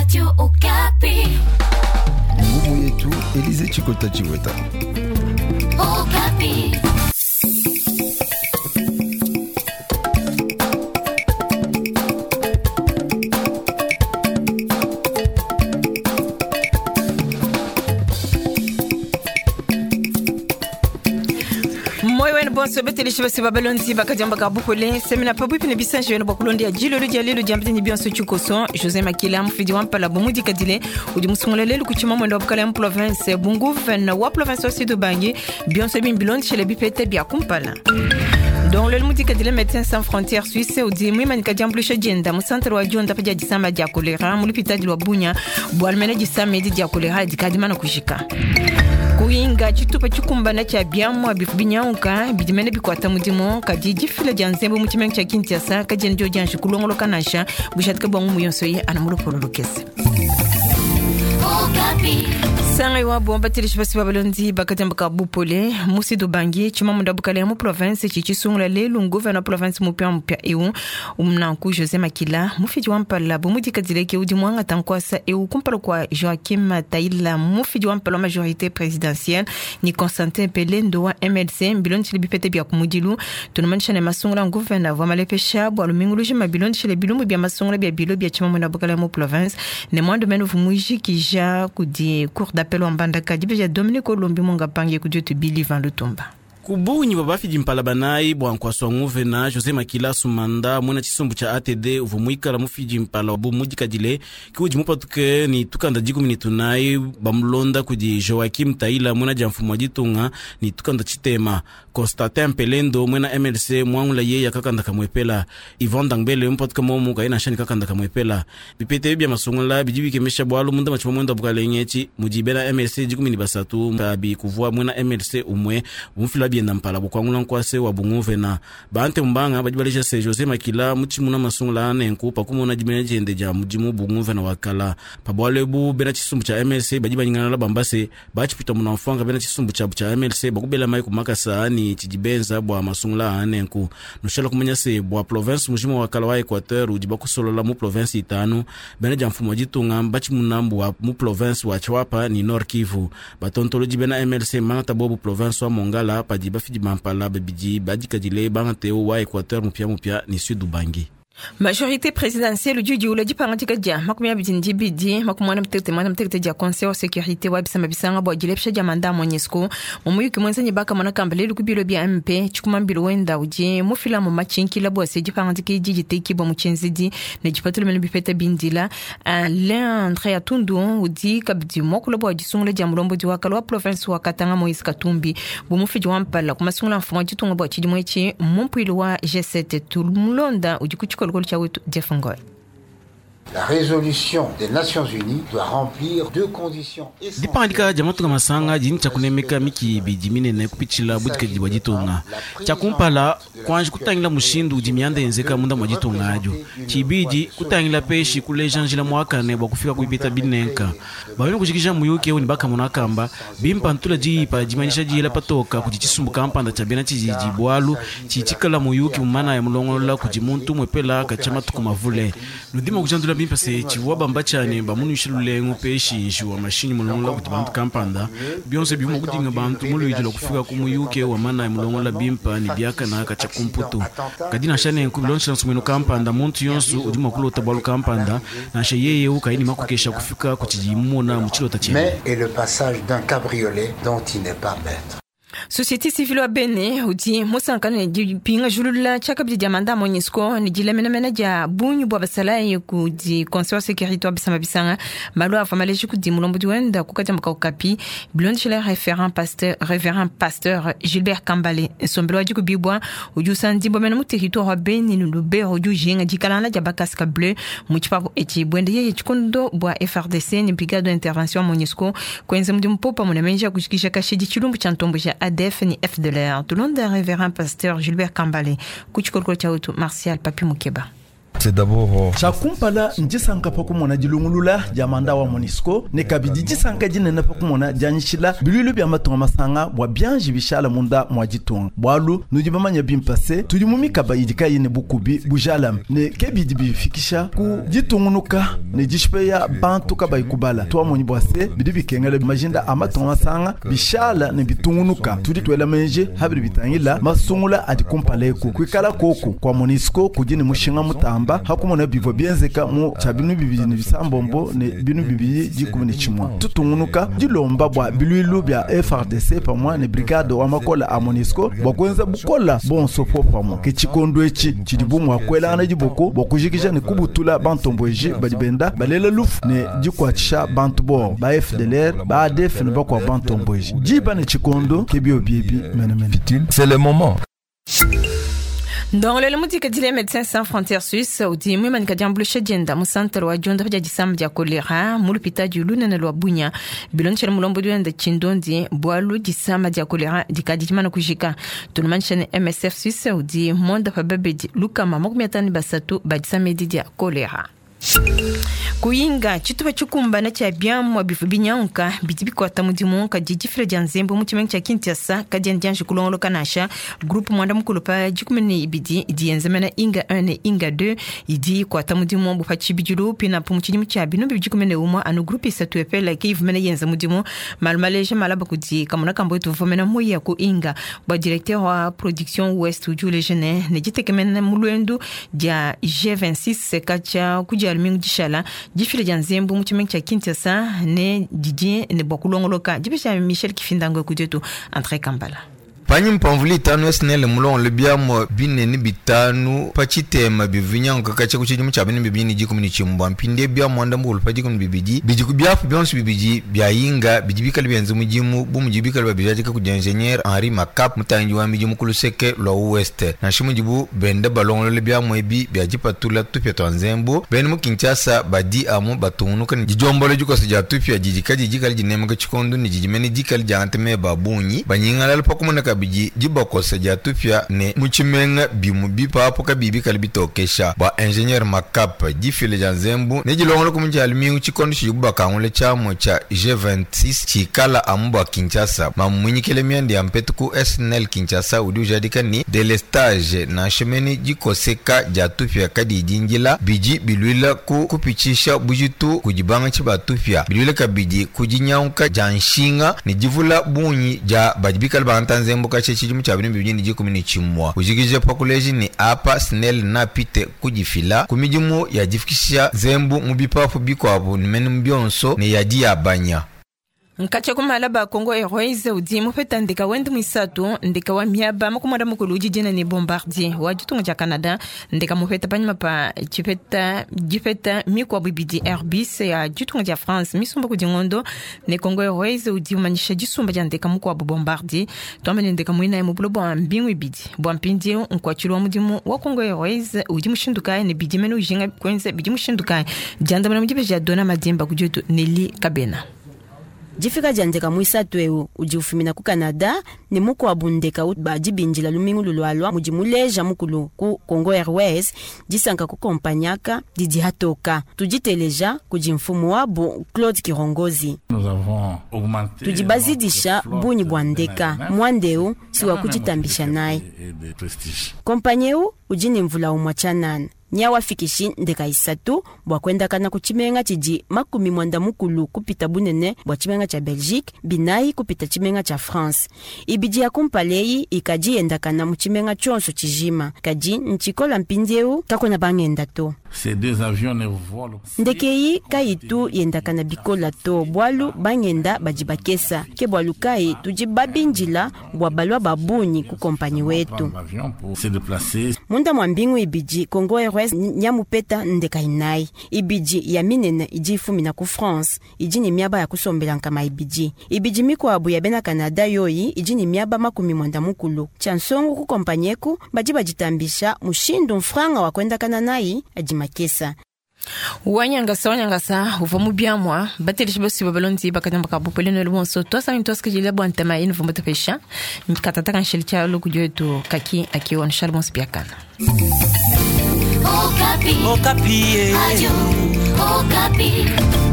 Radio Okapi. Ngumu yetu Elize Chikota Chiweta. Okapi. Moyo wenu bonso betelishi basi babalonzi bakadiamba ka bukole semina pabuipi ne bisanji wenu bwa kulonda jilolo dia lelu dia mpitini bionso tshikoso. José Makila, mufidi wa mpala bumudikadile, udi musungula lelu kuchima mwendo wa bukala mu province bunguvene wa province wa Sud Ubangi. Bionso bimbilondishele bipete bia kumpala. Donc lelu mudikadile, Médecins Sans Frontières Suisse udi muimanika diambulusha dienda mu centre wa dionda pa dia disama dia kolera mu lupitadi lwa Bunya, bwalu mene disama edi dia kolera dikadimana kujika. Kuyinga tshitupa tshikumbana tshia biamua bifu binyauka bidimene bikwata mudimu kadi difila dia nzembo mu tshimenga tshia Kinshasa kadiena dio dianji kulongoloka nansha bushatika bwa ngumu yonso ye ana mulopolo lukese. Okapi. Sanga iwabo batelishi basi babalondi bakadiambaka bupole. Mu Sud Ubangi, tshimamunda bukale mu province tshitshisungula lelu nguvena province mupia mupia eu umnanku José Makila, mufidi wa mpala bumudikadileke, udi muangata nkwasa eu kumpala kwa Joaquim Taila, mufidi wa mpala wa majorité présidentielle, ni Constantin Pelendo wa MLC. Mbilondishile bipete bia kumudilu, tunumanisha ne masungula nguvena vwa malepesha bwa lumingu lujima bilondishile bilumbu bia masungula bia bilo bia tshimamunda bukale mu province ne mwandu mene vumujikija kudi cour d'appel wa Mbandaka. Dibeja Dominique Olombi Munga pange kudi tubili Van Lutumba. Kubunyi bwa bafidi mpala banayi bwa nkwaswa nguvena José Makila Sumanda, mwena tshisumbu tsha ATD, uvua muikala mufidi mpala bu mudikadile ki udi mupatuke ni tukanda 19, bamulonda kudi Joaquim Taila, mwena dia mfumu wa ditunga, ni tukanda tshitema. Constantin Pelendo, mwena MLC, mwangula ye kakanda kamwepela. Yvon Dangbele mupatuke momu kaina shani kakanda kamwepela. Bipete bia masungula bidi bikemesha bwalu munda machima mwenda bukalenge etshi mudi bena MLC 13 kabi kuvua mwena MLC umwe bumfila bienda mpala bukwangula nkwase wa bunguvena. Bante mbanga badi balesha se José Makila mutshimuna masungula anenku pakumona dimene diende dia mudimu bunguvena wakala. Pabwale bu bena tshisumbu tsha MLC badi banyingana bambase batshipita muna mfanga bena tshisumbu tshabu tsha MLC bakubela mai kumakasa ani tshidibenza bwa masungula anenku. Nushala kumanya se bwa province mujima wakala wa Equateur udi bakusolola mu province itanu, bena dia mfumu wa ditunga batshimuna mbwa mu province wa Tshuapa ni Nord Kivu. Batontoloji bena MLC mangata bobu province wa Mongala padi bafidi bampala babidi badikadile bangate wa Equateur mupia mupia ni Sud Ubangi. Majorité présidentielle udi udiula dipangadika dia 29 89 dia conseil wa sécurité wa bisamba bisanga bwa dilepesha dia manda MONUSCO mu muyuki muenza bakamona kamba lelu ku bilo bia MP. Tshikumambilo wenda udi mufila mu matshinkila bwa se dipangadika edi ditekibwa mu tshienzedi ne dipatula mene bipeta bindila. Alain André Atundu udi kabidi muakula bwa disungula dia mulombodi wa kala wa province wa Katanga Moïse Katumbi bu mufidi wa mpala ku masungula mfumu wa ditunga bwa tshidimu etshi mu mpuilu wa G7. Tulumulonda udi ku tshikolokolo tshia wetu Jeff Ngoi. La résolution des Nations Unies doit remplir deux conditions essentielles. Dipangadika dia matunga masanga dini tshia kunemeka miki bidi minene kupitshila budikadidi bua ditunga. Tshia kumpala, kuanji kutangila mushindu udi mianda yenzeka munda mua ditunga adio. Tshibidi, kutangila peshi kuleja njila muakane bua kufika kuipita binenka. Bamene kujikija muyuki eu ni bakamona kamba bimpa ntula diipa dimanyisha diyela patoka kudi tshisumbu kampanda tshia bena tshididi, bualu tshitshikala muyuki mumana ya mulongolola kudi muntu mwepela katshia matuku mavule. Nudima kujandula bimpa se tshivua bamba tshane bamunuisha lulengu peshi njiwa mashinyi mulongola kudi bantu kampanda. Bionso bivuma kudinga bantu muluidi lwa kufika ku muyuki wa mana ya mulongola bimpa ni biakana katshia kumputu. Kadi nansha nenku, bilondeshela nsumuinu kampanda, muntu yonso udi mua kulota bwalu kampanda nansha yeye ukayi ni makokesha kufika ku tshidi mumona mu tshilota tshiende. Mais est le passage d'un cabriolet dont il n'est pas maître. Société civile wa Bene udi musankana ne dipinga julula tshiakabidi dia manda MONUSCO ne dilamenamena dia bungi bua basalayi kudi conseil wa sécurité wa bisamba bisanga. Malu avua maleji kudi mulombodi wenda kukadiambuka Okapi. Bilondeshela révérend pasteur Gilbert Kambale, nsombelo wa dikubibwa udi usandibwa mene mu territoire wa Beni ni Lubero udi ujinga dikalana dia bacasques bleus mu tshipapu etshi bwende yeye tshikondo bua FARDC ni brigade d'intervention wa MONUSCO kwenza mudimu popa munamenja kujikisha kashidi tshilumbu tshia ntombo tshia ADF ni FDLR. Tulonda révérend pasteur Gilbert Kambale ku tshikolokolo tshia wetu Martial Papi Mukeba. C'est d'abord Tshia kumpala ndisanka pa kumona dilungulula dia mandat wa MONUSCO ne kabidi disanka dinene pa kumona dianyishila biluilu bia matunga masanga bua bianji bishala munda mua ditunga, bualu nudi bamanya bimpe se tudi mu mikaba idi kayi ne bukubi bujalame ne ke bidi bifikisha ku ditungunuka ne dishipeya bantu kabayi kubala. Tuamonyi bua se bidi bikengela majinda a matunga masanga bishala ne bitungunuka. Tudi tuela menji habidi bitangila masungula adi kumpala eku kuikala koku kwa MONUSCO kudi ne mushinga mutamba hakumona bivua bienzeka mu tshia binu bibidi ne bisambombo ne binu bibidi dikumi ne tshimue. Tutungunuka dilomba bua biluilu bia FARDC pamue ne brigade wa makola a MONUSCO bua kuenza bukola bonso po pamue. Ke tshikondo etshi tshidi bu mua kuelangana diboko bua kujikija ne kubutula bantomboji badi benda balela lufu ne dikuatshisha bantu bo ba FDLR ba ADF ne bakua bantomboji diba ne tshikondo ke bio biebi menemene. C'est le moment. Ndongolelo mudikadile Médecins Sans Frontières Suisse udi muimanika diambuluisha dienda mu santere wa diondopa dia disama dia kolera mu lupitadi lunene lua Bunia. Bilondeshele mulombodi wende tshindondi bualu disama dia kolera dikadi dimana kujika. Tulumanyisha ne MSF Suisse udi mondopa babedi lukama 53 ba disama edi dia kolera. Kuyinga tshitupa tshikumbana tshia biamua bivua binyanguka bidi bikuata mudimu kadi difila dia nzembu mu tshimenga tshia Kinshasa kadiena dianji kulongoloka nansha. Groupe mwanda mukulu pa 12 idi yenzemena Inga 1 ne Inga 2 idi ikuata mudimu bu pa tshibidilu pinapu mu tshidimu tshia binu bibidi kumi ne umue anu groupe isatu epela ke ivua mene yenza mudimu. Malu maleja malaba kudi kamona kambo etu uvua mene muya ku Inga bua directeur wa production ouest udi uleja ne ne ditekemena mu luendu dia G26 katshia ku dia lumingu dishala difila dia nzembu mu tshimenga tshia Kinshasa ne didi ne bua kulongoloka. Dipesha Michel Kifindango kudietu André Kambala. Panyi mpamvula itanu SNEL mulongole biamua binene bitanu pa tshitema bivinyanguka katshia ku tshidimu tshia binu bibidi ne dikumi ne tshimbua. Mpindie biamua ndambu pa dikumi ne bibidi bidi ku biapu bionso bibidi bia Inga bidi bikale bienza mudimu bu mudi bikale babijadika kudi ingénieur Henri Makap mutangi wa midimu ku luseke lua ouest. Nansha mudibu benda balongolola biamua ebi bia dipatula tupia tua nzembu bena mu Kinshasa badi amu batungunuka ne didiombola dikosa dia tupia didi kadi dikale dinemeka tshikondu ne didi mene dikale diangata meba a bungi banyingalala pa kumona kabidi dibakosa dia tupia ne mu tshimenga bimu bipapu kabibi bikale bitokesha. Bua ingénieur Makap difila dia nzembu ne dilongolola ku mudia lumingu tshikondo tshidibu bakangula tshiamua tshia G26 tshikala amu bua Kinshasa. Mamunyikile mianda ya mpetu ku SNEL Kinshasa udi ujadika ni delestage nansha mene dikoseka dia tupia kadi dingila bidi biluila ku kupitshisha bujitu kudi bangatshi ba tupia biluila kabidi ku dinyanguka dia nshinga ne divula bungi dia badi bikale bangata nzembu katshia tshidimu tshia binu bibidi ne dikumi ne tshimue. Ujikije pa kuleja ni apa SNEL napite kudifila ku midimu ya difikisha nzembu mu bipapu bikuabu ne mene bionso ne yadi yabanya. Nkatshia kumala ba Congo Airways udi mupeta ndeka wende muisatu ndeka wa miaba makumada mukulu udi dina ne Bombardier wa ditunga dia Canada. Ndeka mupeta panyima pa tshipeta dipeta mikuabu ibidi Airbus ya ditunga dia France misumba kudi ngondo ne Congo Airways udi umanyisha disumba dia ndeka mukuabu Bombardier. Tuamene ndeka muinayi mu buloba bua mbingu ibidi bua mpindieu nkuatshilu wa mudimu wa Congo Airways udi mushindu kayi ne bidi mene ujinga kuenza bidi mushindu kayi diandamuna mu dibeji dia Dona Madimba kudi wetu Nelly Kabena. Difika dia ndeka muisatu eu udi ufumina ku Canada ne mukuabu ndeka badi bindila lumingu lulualua mudi muleja mukulu ku Congo Airways disanka ku kompanyaka didi hatoka. Tuditeleja kudi mfumu wabu Claude Kirongozi. Tudi bazidisha bunyi bua ndeka mwandeu si wa kuditambisha naye. Kompanyi eu udi ne mvula umua tshianana nyawafikishi ndeka isatu bua kuendakana ku tshimenga tshidi 90 kupita bunene bua tshimenga tshia Belgique, binayi kupita tshimenga tshia France. Ibidi ya kumpala ikadi yendakana mu tshimenga tshionso tshijima kadi ntshikola mpindieu kakona bangenda to. Ndeke iyi kayitu yendakana bikola to bualu bangenda badi bakesa ke bualu kayi tudi babindila bua balua babunyi ku kompanyi wetu. Munda mwa mbingu ibidi Congo Airways nyamupeta ndeka inayi ibidi ya minene idi ifumina ku France idi ne miaba ya kusombela nkama ibidi ibidi mikuabu ya bena Canada yoyi idi ne miaba 90. Tshia nsongo ku kompanyi eku badi baditambisha mushindu mfranga wa kuendakana nayi adi makesa. Wanyangasa uvua mu biamua bateleshi basuba balondi bakanyamba ka bupele no bonso twasa ntwasikijila bua ntama inu vumba tupesha nkatata kansheli tshia loku dietu kaki akiwa nshal bonso biakana. Okapi. Okapi. Radio Okapi.